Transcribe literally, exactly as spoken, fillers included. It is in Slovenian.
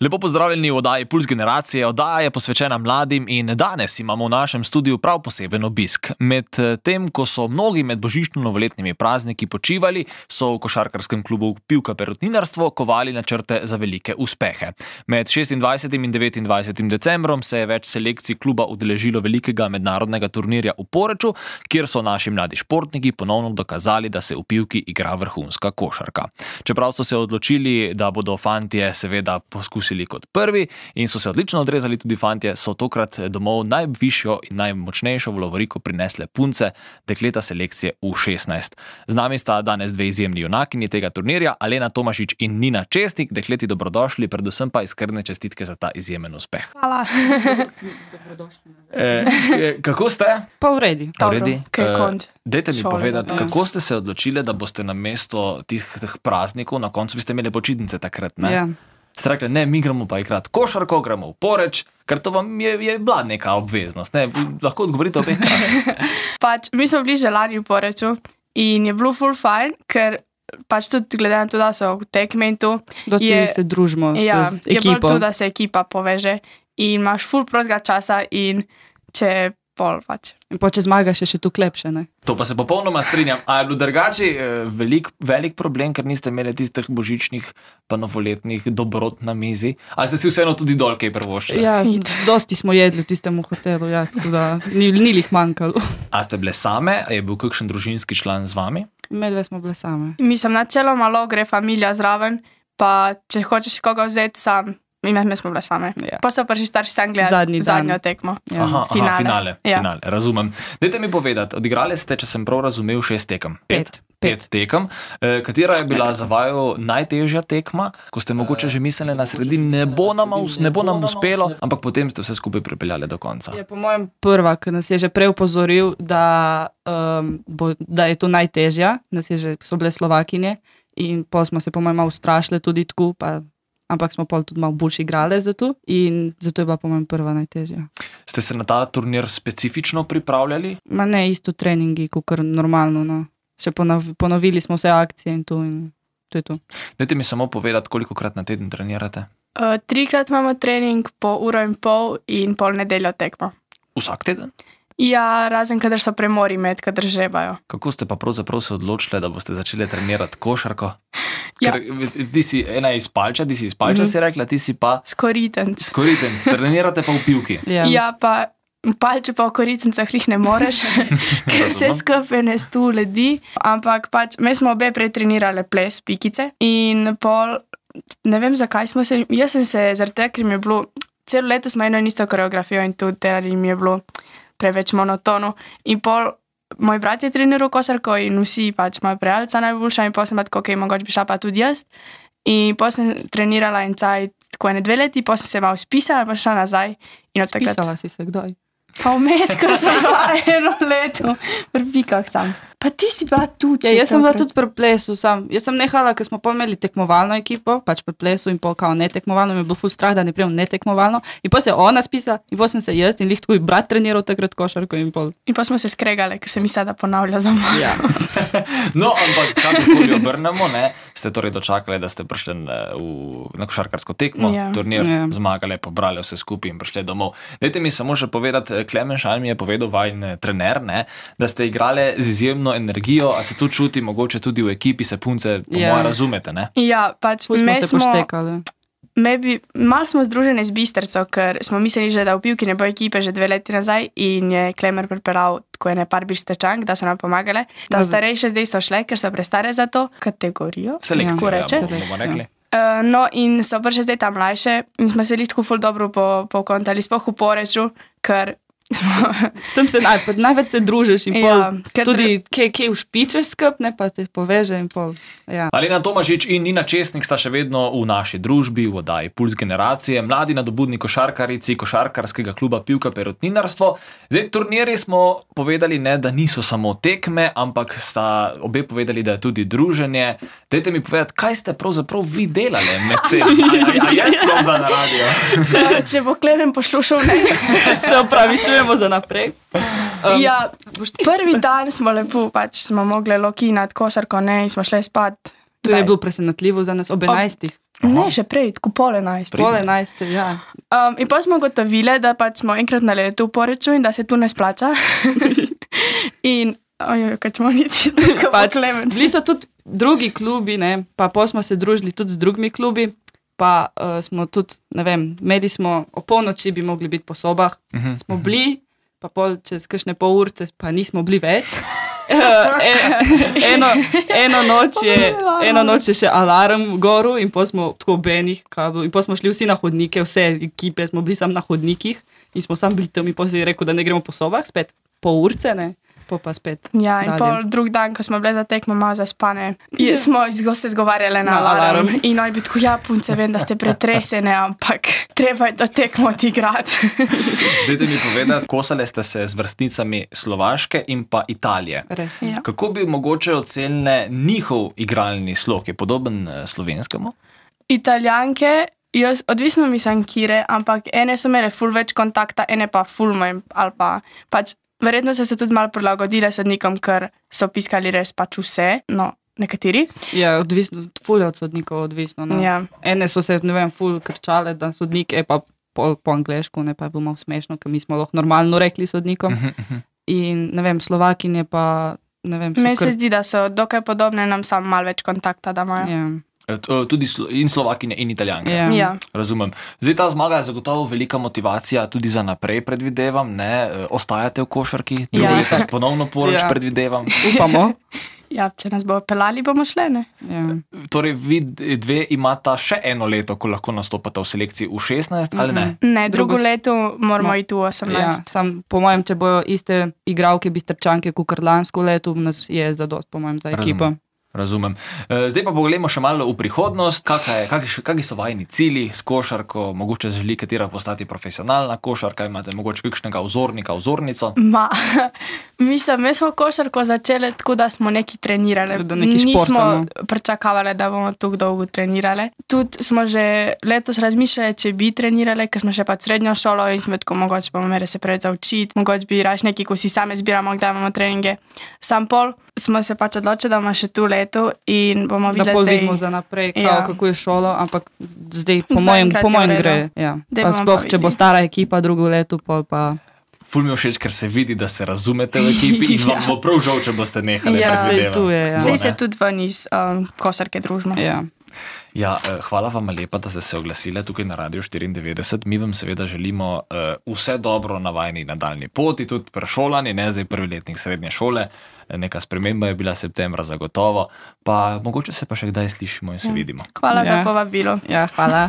Lepo pozdravljeni v oddaji Puls generacije. Oddaja je posvečena mladim in danes imamo v našem studiu prav poseben obisk. Med tem, ko so mnogi med božično-novoletnimi prazniki počivali, so v košarkarskem klubu Pivka Perutninarstvo kovali načrte za velike uspehe. Med šestindvajsetim in devetindvajsetim decembrom se je več selekcij kluba udeležilo velikega mednarodnega turnirja v Poreču, kjer so naši mladi športniki ponovno dokazali, da se v Pivki igra vrhunska košarka. Čeprav so se odločili, da bodo fantje seveda poskusili kot prvi in so se odlično odrezali tudi fantje, so tokrat domov najvišjo in najmočnejšo v lovoriko prinesle punce, dekleta selekcije U šestnajst. Z nami sta danes dve izjemni junakinji tega turnirja, Alena Tomašič in Nina Česnik. Dekleti, dobrodošli, predvsem pa iskrene čestitke za ta izjemen uspeh. Hvala. Dobrodošli. E, kako ste? Pa v redi. Pa v redi. Kaj konc? Dajte mi Šole, povedati, ja. kako ste se odločili, da boste namesto tih praznikov, na koncu vi ste imeli počitnice takrat, ne? Ja. Ste rekli, ne, mi gremo pa igrati košarko, gremo v Poreč, ker to vam je, je bila neka obveznost, ne? Lahko odgovorite obeh kraj. Pač, mi smo bili že lani v Poreču in je bilo ful fajn, ker pač tudi glede na to, da so v tekme in tu, Dosti je, se družimo ja, s je bolj ekipo. to, da se ekipa poveže in imaš ful prostega časa in če pol pač. In po če zmagaš, je še tu klepše, ne? To pa se popolnoma strinjam. A je bilo drugače eh, velik, velik problem, ker niste imeli tistih božičnih pa novoletnih dobrot na mizi? Ali ste si vseeno tudi dol kaj privoščili? Ja, z- dosti smo jedli v tistem hotelu, ja, tako da ni, ni lih manjkalo. A ste bile same? A je bil kakšen družinski član z vami? Medve smo bile same. Mislim, načeloma malo gre familija zraven, pa če hočeš koga vzeti sam, mi, mi smo bile same. Ja. Pa so prišli starši sam gledati Zadnji dan. zadnjo tekmo. Ja. Aha, aha, Finale. finale, Ja. finale, razumem. Dajte mi povedati, odigrali ste, če sem prav razumel, šest tekem. Pet. Pet tekem. E, katera je bila za vaju najtežja tekma, ko ste mogoče že mislili na sredini, ne bo nam, us- ne bo nam uspelo, ampak potem ste vse skupaj pripeljali do konca. Je po mojem prva, ki nas je že prej upozoril, da, um, bo, da je to najtežja, nas je že, so bile Slovakinje in pol smo se po mojem malo ustrašile tudi tako, pa, ampak smo pol tudi malo boljši igrali za to in zato je bila po mojem prva najtežja. Ste se na ta turnir specifično pripravljali? Ma ne, isto treningi, kot normalno, no. Še ponov, ponovili smo vse akcije in to in to je to. Dajte mi samo povedati, kolikokrat na teden trenirate? Uh, trikrat imamo trening po uro in pol in pol nedeljo tekmo. Vsak teden? Ja, razen kadar so premori med, kadar žebajo. Kako ste pa pravzaprav se odločili, da boste začeli trenirati košarko? Ja. Ker ti si ena iz Palča, ti si iz Palča, Mhm. si rekla, ti si pa Skoritenc. skoritenc, trenirate pa v Pivki. Ja. Ja, pa palče pa v koritencah jih ne moreš, ker se Razumem. skupaj ne stu ledi. Ampak pač, mi smo obe pretrenirale ples, pikice in pol, ne vem zakaj smo se, jaz sem se zaradi tega, ker mi je bilo, celo leto smo eno in isto koreografijo in tudi delali mi je bilo preveč monotono. In pol, moj brat je treniral košarko in vsi pač moja prijateljica najboljša in pol sem pa tako, ok, mogoče bi šla pa tudi jaz. In pol sem trenirala en cajt, tako ene dve leti, pol sem se malo spisala, pa šla nazaj in od takrat. Spisala si se kdaj? Pa vmes, ko sem bila eno leto, pri pikah sam. Pa ti si bila tu, Ja, jaz sem bila tudi pri plesu, sam. Jaz sem nehala, ker smo pol imeli tekmovalno ekipo, pač pri plesu in pol kao netekmovalno, mi je bil ful strah, da ne prijem netekmovalno. In pol se je ona spisala, in pol sem se jaz in lih tako brat treniral takrat košarko in pol. In pa smo se skregale, ker sem mislila, da ponavlja za mano. Ja. No, ampak kakorkoli obrnemo, ne, ste torej dočakali, da ste prišli na, v, na košarkarsko tekmo, Ja. turnir, Ja. zmagali, pobrali vse skupaj in prišli domov. Dajte mi samo še povedati, Klemen Šalj mi je povedal, vajn trener, ne, da ste igrali z izjemno energijo, a se to čuti mogoče tudi v ekipi, se punce po Ja. moje razumete, ne? Ja, pač Ful smo me se smo, poštekali. me bi, malo smo združene z Bistrco, ker smo mislili že, da v Pivki ne bo ekipe že dve leti nazaj in je Klemer pripeljal tako ene par Bistrčank, da so nam pomagale, da Da- starejše zdaj so šle, ker so prestare za to kategorijo. Selekcija, Kako reče? ja, bomo rekli. Uh, no, in so prišle zdaj tam mlajše in smo se jih tako ful dobro po, pokontali, sploh v Poreču, ker Tam se naj, največ se družiš in pol. Ja, ker tudi kje, kje ušpičeš skup, ne pa te poveže in pol. Ja. Alena Tomašič in Nina Česnik sta še vedno v naši družbi, v oddaji Puls generacije, mladi nadobudni košarkarici košarkarskega kluba Pivka Perutninarstvo. Zdaj, turnirji smo povedali, ne, da niso samo tekme, ampak sta obe povedali, da je tudi druženje. Dajte mi povedati, kaj ste pravzaprav vi delali med tem? A, a, a jaz sploh za na radio? uh, če bo Klemen poslušal, ne. Se opravičujemo za naprej. Um, ja, prvi dan smo lepo, pač smo mogli lokinati košarko, ne, in smo šli spat. To je bilo presenetljivo za nas ob enajstih. Ne, še prej, tako pol enajst. Pol enajst, ja. Um, in pa smo gotovili, da pač smo enkrat na letu v Poreču in da se tu ne splača. in, ojoj, kaj smo niti tako Pač, klemen. bili so tudi drugi klubi, ne, pa pol smo se družili tudi z drugimi klubi, pa uh, smo tudi, ne vem, mediji smo o polnoči bi mogli biti po sobah, Mhm. smo bili, pa pol čez kakšne pol urce pa nismo bili več. e, eno, eno, noč je, eno noč je še alarm goru in pa smo tako benih in pa smo šli vsi na hodnike, vse ekipe smo bili sam na hodnikih in smo sam bili tam in pa si rekel, da ne gremo po sobah, spet po urce, ne, pa pa spet. Ja, in dalje. pol drug dan, ko smo bili za tekmo malo zaspane, je, smo izgo se zgovarjali na, Na alarm. alarm. In oni bi tako, ja, punce, vem, da ste pretresene, ampak treba je to tekmo odigrati. Dajte mi povedati, kosali ste se z vrstnicami Slovaške in pa Italije. Res. Ja. Kako bi mogoče ocenili njihov igralni slog? Je podoben eh, slovenskemu? Italijanke, jaz odvisno mislim, kire, ampak ene so imele ful več kontakta, ene pa ful manj, ali pa pač verjetno so se tudi malo prilagodile sodnikom, ker so piskali res pač vse, no, nekateri. Ja, odvisno, ful je od sodnikov odvisno. No. Ja. Ene so se, ne vem, ful krčale, da sodnik je pa po, po angleško, ne pa je bilo malo smešno, ker mi smo lahko normalno rekli sodnikom. In, ne vem, Slovakinje pa, ne vem, so Meni se kar- zdi, da so dokaj podobne, nam samo malo več kontakta, da imajo. Ja, Eh, t- eh, Tudi slo- in Slovakinje in Italijanke. ja. Ja. Razumem. Zdaj ta zmaga je zagotovo velika motivacija tudi za naprej, predvidevam. Ne? E, Ostajate v košarki, drugo Ja. leto ponovno poroč, Ja. predvidevam. Upamo. Ja, če nas bo pelali, bomo šle, ne? Ja. Torej, vi dve imata še eno leto, ko lahko nastopate v selekciji v šestnajst, ali ne? Ne, drugo Drugo- leto moramo Smo- iti v Ja, osemnajst. sam, po mojem, če bojo iste igralke bistrčanke kot lansko leto, nas je zadost, po mojem, za ekipo. Razumem. Razumem. E, Zdaj pa pogledamo še malo v prihodnost. Kakšni so vajni cilji s košarko? Mogoče želi katera postati profesionalna košarka, imate mogoče kakšnega vzornika, vzornico? Ma, mislim, mi smo košarko začeli tako, da smo neki trenirali. Da neki Nismo športamo. pričakovali, da bomo tako dolgo trenirali. Tudi smo že letos razmišljali, če bi trenirali, ker smo še pa srednjo šolo in smo tako, mogoče bomo imeli se preveč zaučiti, mogoče bi raš neki, ko si sami zbiramo, kdaj imamo treninge. Sam pol smo se pač odločili, da bomo še tu leto in bomo Da videli pol zdaj. vidimo za naprej, kao, Ja. kako je šolo, ampak zdaj po mojem, Zaenkrat po je v mojem redu. gre. Ja. Daj Pa bomo sploh, pa če bo videli. stara ekipa drugo leto, pol pa... Ful mi je všeč, ker se vidi, da se razumete v ekipi in vam Ja. bo prav žal, če boste nehali. Ja, predvidevam. saj tu je, ja. Bo, Sej ne? se tudi ven iz um, košarke družimo. Ja. Ja, eh, hvala vam lepa, da ste se oglasili tukaj na Radio štiriindevetdeset. Mi vam seveda želimo uh, vse dobro na vajni nadaljni poti, tudi prešolani, ne zdaj prvi letnik srednje šole. Neka sprememba je bila septembra zagotovo, pa mogoče se pa še kdaj slišimo in se vidimo. Hvala Ja. za povabilo. Ja, hvala.